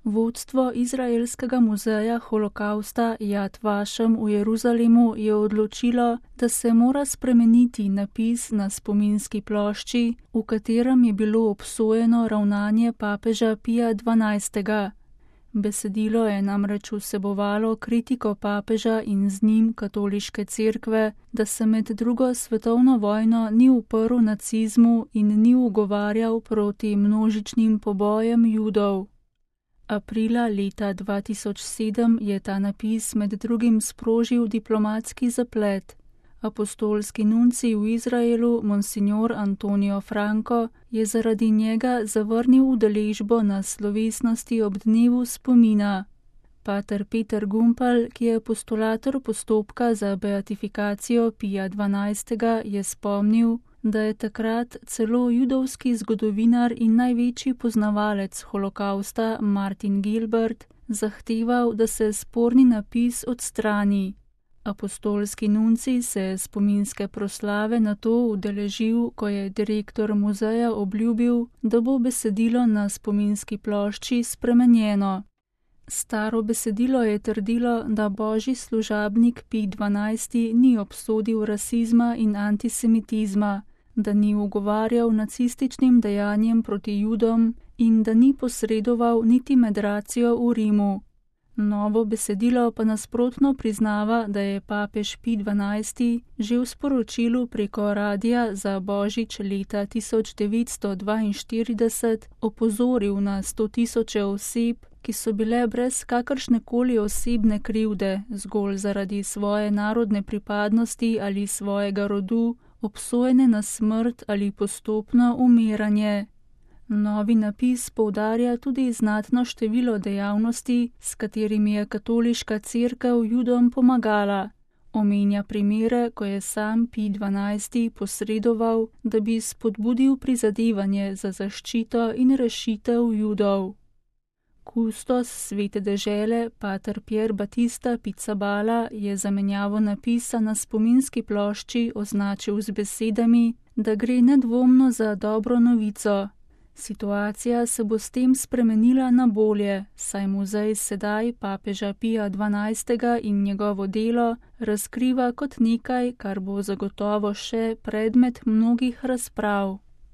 Vodstvo izraelskega muzeja holokavsta Jad Vašem v Jeruzalemu je odločilo, da se mora spremeniti napis na spominski plošči, v katerem je bilo obsojeno ravnanje papeža Pija XII. Besedilo je namreč vsebovalo kritiko papeža in z njim katoliške cerkve, da se med drugo svetovno vojno ni uprl nacizmu in ni ugovarjal proti množičnim pobojem Judov. Aprila leta 2007 je ta napis med drugim sprožil diplomatski zaplet. Apostolski nuncij v Izraelu, monsignor Antonio Franco, je zaradi njega zavrnil udeležbo na slovesnosti ob dnevu spomina. Pater Peter Gumpal, ki je postulator postopka za beatifikacijo Pija XII., je spomnil, da je takrat celo judovski zgodovinar in največji poznavalec holokavsta Martin Gilbert zahteval, da se sporni napis odstrani. Apostolski nuncij se je spominske proslave nato udeležil, ko je direktor muzeja obljubil, da bo besedilo na spominski plošči spremenjeno. Staro besedilo je trdilo, da božji služabnik Pij XII. Ni obsodil rasizma in antisemitizma, da ni ugovarjal nacističnim dejanjem proti Judom in da ni posredoval niti med racijo v Rimu. Novo besedilo pa nasprotno priznava, da je papež Pij XII. Že v sporočilu preko radia za božič leta 1942 opozoril na 100.000 oseb, ki so bile brez kakršnekoli osebne krivde, zgolj zaradi svoje narodne pripadnosti ali svojega rodu, obsojene na smrt ali postopno umiranje. Novi napis poudarja tudi znatno število dejavnosti, s katerimi je katoliška cerkev Judom pomagala. Omenja primere, ko je sam Pij XII. Posredoval, da bi spodbudil prizadevanje za zaščito in rešitev Judov. Kustos svete dežele, pater Pier Battista Pizzaballa, je zamenjavo napisa na spominski plošči označil z besedami, da gre nedvomno za dobro novico. Situacija se bo s tem spremenila na bolje, saj muzej sedaj papeža Pija XII. In njegovo delo razkriva kot nekaj, kar bo zagotovo še predmet mnogih razprav.